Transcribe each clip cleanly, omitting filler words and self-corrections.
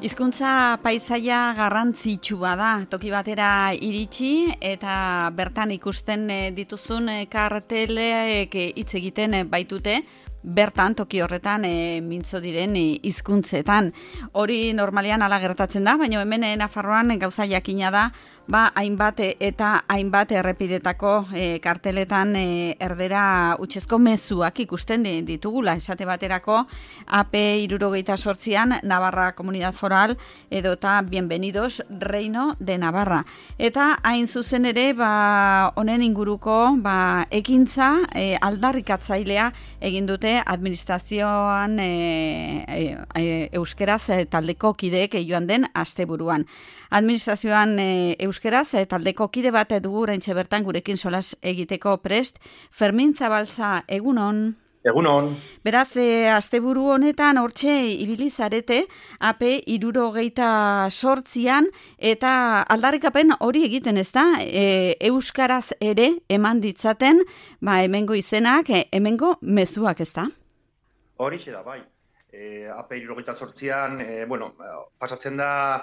Hizkuntza paisaia garrantzitsua da, toki batera iritsi eta bertan ikusten dituzun kartelek hitz egiten baitute, bertan toki horretan mintzo diren hizkuntzetan. Hori normalean hala gertatzen da, baina hemen Nafarroan gauza jakina da, hainbat eta hainbat errepidetako karteletan erdera hutsezko mezuak ikusten ditugula. Esate baterako AP 78an Navarra Comunidad Foral edota Bienvenidos Reino de Navarra. Eta hain zuzen ere honen inguruko ekintza aldarrikatzailea egin dute administrazioan euskeraz taldeko kideek joan den asteburuan. Administrazioan euskeraz taldeko kide bat dugu oraintxe bertan gurekin solas egiteko prest. Fermin Zabalza, egunon. Egunon. Beraz, asteburu honetan hortxe ibili zarete AP 78an eta aldarrikapen hori egiten, ezta? Euskaraz ere eman ditzaten, hemengo izenak, hemengo mezuak, ezta? Horixe da, bai. AP 78an, pasatzen da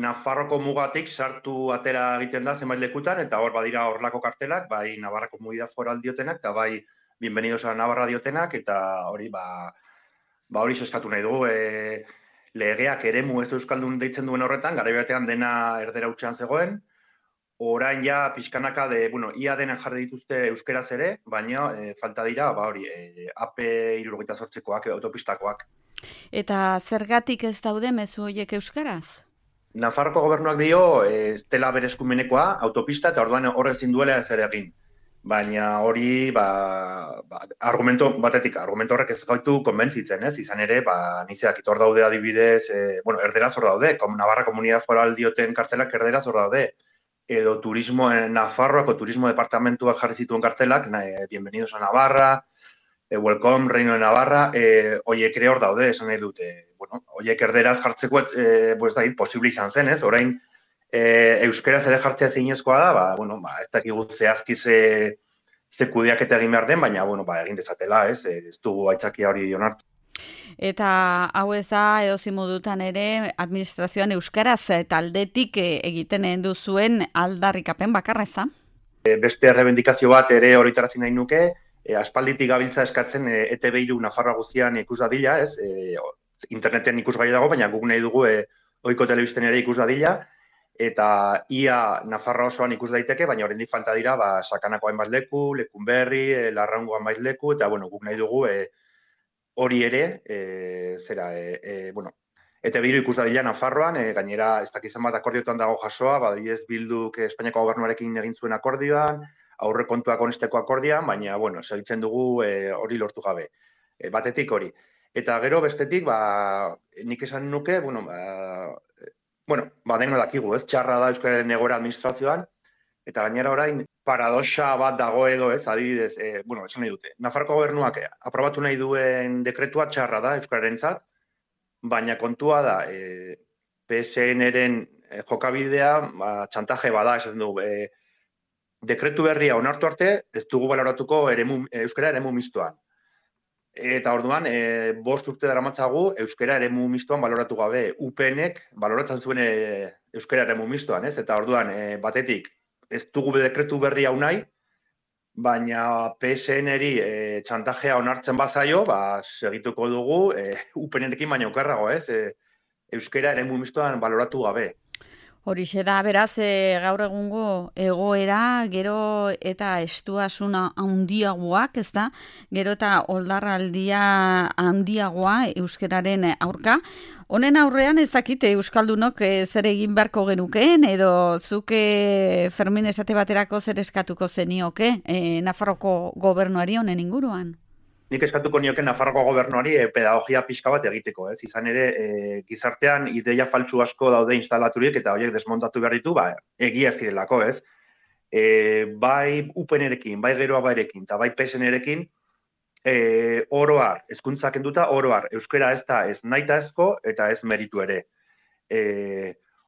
Nafarroko mugatik sartu atera egiten da zenbait lekutan, eta hor badira horlako kartelak, bai Navarra Comunidad Foral diotenak, eta bai Bienvenidos a Navarra diotenak, eta hori hori eskatu nahi dugu. Legeak eremu ez euskaldun deitzen duen horretan, garai batean dena erdera hutsean zegoen, orain ja pixkanaka ia denen jarri dituzte euskeraz ere, baina falta dira, AP 78koak, autopistakoak. Eta zergatik ez daude mezu horiek euskaraz? Nafarroko gobernuak dio, ez dela bere eskumenekoa, autopista, eta orduan horrek ezin duela ez ere egin. Baina hori, argumento horrek ez gaitu konbentzitzen, ez? Izan ere, nizeak hor daude adibidez, erderaz hor daude, Navarra Comunidad Foral dioten kartelak erderaz hor daude. Edo Nafarroako turismo departamentuak jarri zituen kartelak, Bienvenidos a Navarra, Welcome Reino de Navarra, horiek ere hor daude, esan nahi dute. Horiek erderaz jartzeko, posible izan zen, ez? Orain, euskeraz ere jartzea zinezkoa da, ez dakigu zehazki ze kudeaketa egin behar den, baina, egin dezatela, ez? Ez dugu aitzakia hori onartu. Eta hau ez da, edozein modutan ere, administrazioan euskaraz taldetik egiten duzuen aldarrikapen bakarra, ez da? Beste errebendikazio bat ere horretarazi nahi nuke, aspalditik gabiltza eskatzen ETV3 Nafarroa guztian ikus dadila, ez? Interneten ikusgai dago, baina guk nahi dugu ohiko telebisten ere ikus dadila, eta ia Nafarroa osoan ikus daiteke, baina oraindik falta dira Sakanako hainbat leku, Lekunberri, Larraungo hainbat leku, eta guk nahi dugu hori ere, ETV3 ikus dadila Nafarroan, gainera ez dakizan bat akordiotan dago jasoa, badibidez Bilduk Espainiako gobernuarekin egin zuen akordioan, aurrekontuak onesteko akordioan, baina, segitzen dugu hori lortu gabe. Batetik hori. Eta gero bestetik, nik esan nuke, deno dakigu, ez? Txarra da euskararen egoera administrazioan, eta gainera orain paradoxa bat dago edo, ez? Adibidez, esan nahi dute. Nafarroko gobernuak aprobatu nahi duen dekretua txarra da euskararentzat, baina kontua da, PSN-eren jokabidea, txantaje bada, esan du, dekretu berria onartu arte, ez dugu baloratuko euskara eremu mistoan. Eta orduan, 5 urte daramatzagu euskara eremu mistoan baloratu gabe. UPN-ek baloratzen zuen euskara eremu mistoan, ez? Eta orduan, batetik, ez dugu dekretu berria unai, baina PSN-eri txantajea onartzen bazaio, segituko dugu UPN-ekin baina okerrago, ez? Euskara eremu mistoan baloratu gabe. Horixe da, beraz, gaur egungo egoera, gero eta estuasuna handiagoak, ez da? Gero eta oldarraldia handiagoa euskararen aurka. Honen aurrean ez dakite euskaldunok zer egin beharko genukeen, edo zuke Fermin esate baterako zer eskatuko zenioke Nafarroko gobernuari honen inguruan? Nik eskatuko nioke Nafarroko gobernuari pedagogia pixka bat egiteko, ez? Izan ere, gizartean ideia faltsu asko daude instalaturik eta horiek desmontatu behar ditu, egia ez direlako, ez? Bai UPN-erekin, bai Geroa Bairekin, eta bai PSN-erekin, oroar, hezkuntza kenduta, oroar, euskara ez da ez nahitaezko eta ez meritu ere.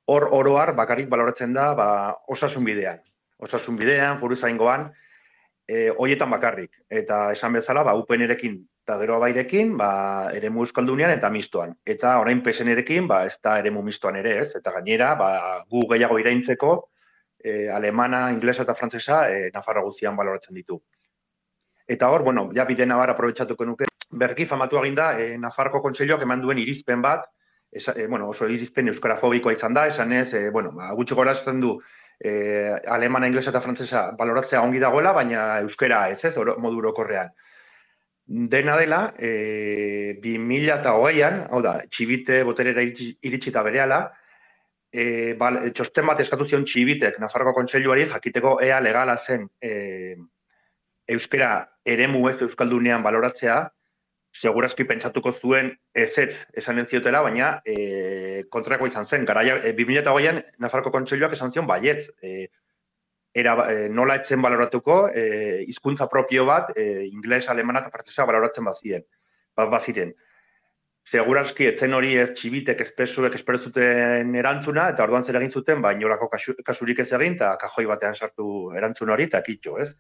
Hor oroar bakarrik baloratzen da osasun bidean. Osasun bidean, foruzaingoan, hoietan bakarrik. Eta esan bezala, UPN-erekin Eta gero bairekin, eremu euskaldunean eta mistoan. Eta orain PSN-erekin, ez da eremu mistoan ere, ez? Eta gainera, gu gehiago iraintzeko, alemana, inglesa eta frantzesa, Nafarroa guztian baloratzen ditu. Eta hor, ja bide nabar aprobetxatuko nuke, berki famatu eginda, Nafarroko Kontseiluak eman duen irizpen bat, oso irizpen euskarafobikoa izan da, esan ez, gutxi gorazten du, alemana, inglesa eta frantzesa baloratzea ongi dagoela, baina euskara ez, modu orokorrean. Dena dela, 2008an, hau da, Txibite boterera iritsi eta berehala, txosten bat eskatu zion Txibitek Nafarroko Kontseiluari jakiteko ea legala zen euskara eremu ez euskaldunean baloratzea, segurazki pentsatuko zuen ezetz esan ez ziotela, baina kontrako izan zen. 2008an Nafarroko Kontseiluak esan zion baietz, nola etzen baloratuko, hizkuntza propio bat, ingles, alemana eta frantzesa baloratzen baziren. Segurazki etzen hori ez Txibitek espesuek espero zuten erantzuna, eta orduan zer egin zuten, inolako kasurik ez egin, eta kajoi batean sartu erantzun hori, eta kitxo, ez?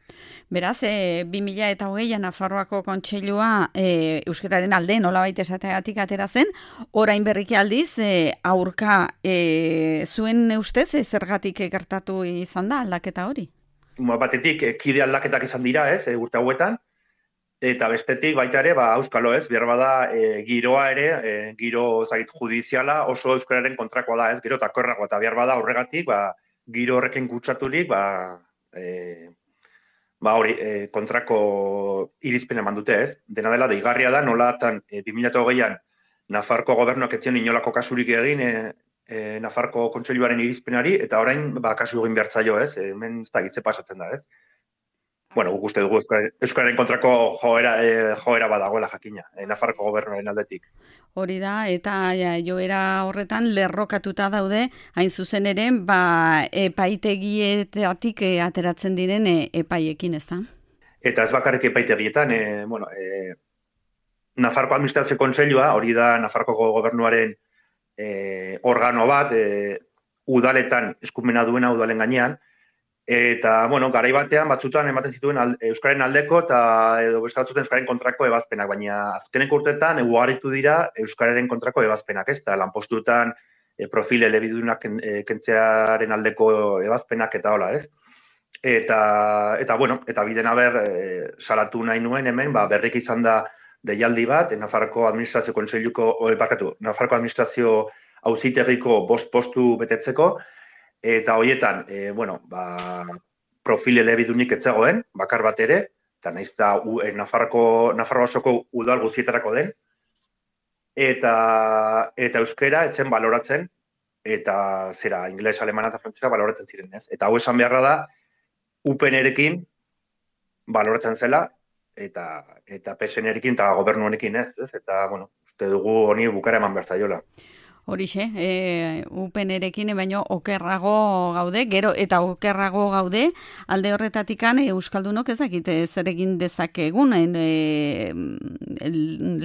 Beraz, 2008an Nafarroako Kontseilua euskararen alde nolabait esateagatik atera zen, orain berriki aldiz, aurka zuen ustez zergatik gertatu izan da aldaketa hori? Batetik, kide aldaketak izan dira, ez, urte hauetan, eta bestetik baita ere, euskalo ez, behar bada giroa ere, giro judiziala oso euskararen kontrakoa da, ez, gero eta korragoa, eta behar bada horregatik, giro horrekin kutsaturik, hori, kontrako irizpen eman dute, ez. Dena dela, deigarria da, nolatan 2008an Nafarroko gobernuak etzion inolako kasurik egin Nafarroko Kontseiluaren irizpenari, eta orain, kasu egin behartzaio, ez, hemen ez da gitze pasatzen da, ez. Guk uste dugu euskararen kontrako joera badagoela jakina, Nafarroko gobernuaren aldetik. Hori da, eta joera horretan lerrokatuta daude, hain zuzen ere, epaitegietatik ateratzen diren epaiekin, ez da? Eta ez bakarrik epaitegietan, Nafarroko Administrazio Kontseilua, hori da Nafarroko gobernuaren organo bat, udaletan eskumena duena udalen gainean, eta, garai batean batzutan ematen zituen euskaren aldeko eta edo beste batzuten euskaren kontrako ebazpenak, baina azkeneko urteetan ugaritu dira euskararen kontrako ebazpenak, ez da, lanpostuetan profil elebidunak kentzearen aldeko ebazpenak eta hola, ez? Eta biden haber salatu nahi nuen hemen, berrik izan da deialdi bat, Nafarroko Administrazio Kontseiluko, Nafarroko Administrazio Auzitegiko 5 postu betetzeko, eta horietan, profil elebidunik etzegoen, bakar bat ere, eta nahiz da Nafarroa osoko udal guztietarako den, eta euskera etzen baloratzen, eta zera, ingles, alemana eta frantzesa baloratzen ziren, ez? Eta hau esan beharra da, UPN-erekin baloratzen zela, eta PSN-erekin eta gobernu honekin ez? Eta, uste dugu honi bukara eman behar zaiola. Horixe, UPN-erekin baino okerrago gaude, gero eta okerrago gaude, alde horretatikan euskaldunok ezakite zer egin dezakegun,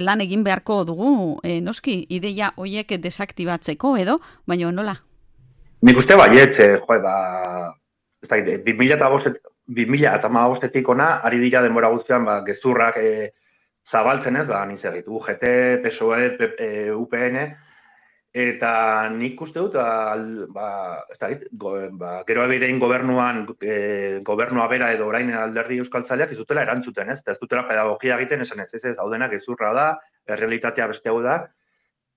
lan egin beharko dugu, noski, ideia hoiek desaktibatzeko edo, baino nola? Nik uste baietz, ez da, 2015-etik ona, ari dira denbora guztian, gezurrak zabaltzen ez, nizegit, UGT, PSOE, UPN, eta nik uste dut, gero abirein gobernua bera edo orain alderdi euskaltzaleak ez dutela erantzuten, ez? Ez dutela pedagogia egiten esan ez, hau dena gezurra da, errealitatea beste hau da,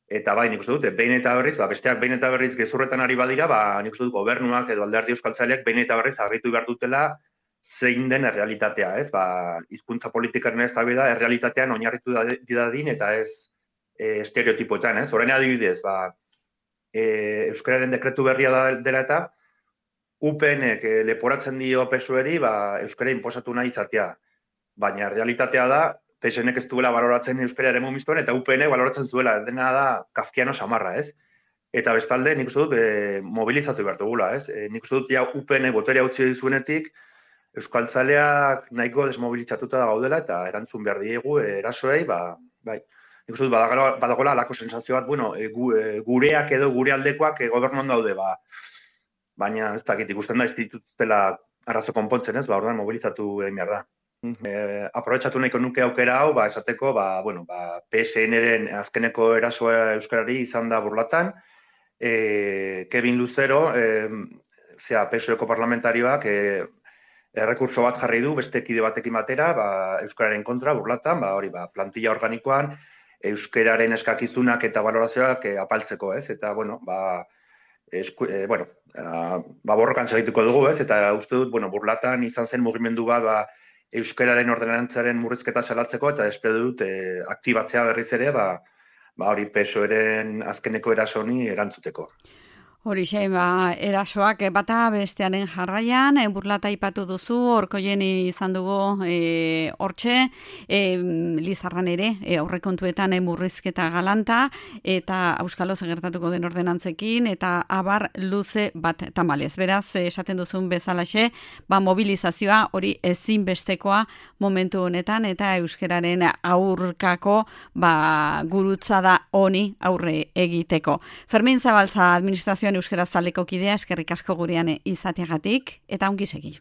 eta nik uste dut, behin eta berriz, besteak behin eta berriz gezurretan ari badira, nik uste dut gobernuak edo alderdi euskaltzaleak behin eta berriz argitu behar dutela zein den errealitatea, ez? Hizkuntza politikaren ez da errealitatean oinarritu dadin eta ez estereotipoetan, ez? Orain adibidez, euskararen dekretu berria dela eta UPN-ek leporatzen dio PSOE-ri euskara inposatu nahi izatea. Baina realitatea da, PSN-ek ez duela baloratzen euskara eremu mistoan eta UPN-ek baloratzen zuela, ez dena da kafkiano samarra, ez? Eta bestalde, nik uste dut, mobilizatu behar dugula, ez? Nik uste dut, UPN-ek boterea utzi dizuenetik, euskaltzaleak nahiko desmobilizatuta gaudela eta erantzun behar diegu erasoei, bai. Nik uste dut, badagoela alako sensazio bat, gureak edo gure aldekoak gobernuan daude, baina ez dakit ikusten da, ez dituztela arazo konpontzen ez, orduan mobilizatu egin behar da. Aprobetxatu nahiko nuke aukera hau, esateko, PSN-ren azkeneko erasoa euskarari izan da Burlatan, Kevin Lucero, PSOeko parlamentarioak, errekurso bat jarri du beste kide batekin batera, euskararen kontra Burlatan, plantilla organikoan, euskararen eskakizunak eta valorazioak apaltzeko, ez? Eta, borrokan segituko dugu, ez? Eta uste dut, Burlatan izan zen mugimendu bat, euskararen ordenantzaren murrizketa salatzeko, eta espero dut aktibatzea berriz ere, hori PSOE-ren azkeneko erasoni erantzuteko. Horixe, erasoak bata bestearen jarraian, Burlata aipatu duzu, Orkoien izan dugu hortxe, Lizarran ere, aurrekontuetan murrizketa galanta, eta Auskalo gertatuko den ordenantzekin, eta abar luze bat tamalez. Beraz, esaten duzun bezalaxe, mobilizazioa hori ezinbestekoa momentu honetan, eta euskararen aurkako gurutzada honi aurre egiteko. Fermin Zabalza, administrazioan euskaraz taldeko kidea, eskerrik asko gurean izateagatik, eta ongi segi.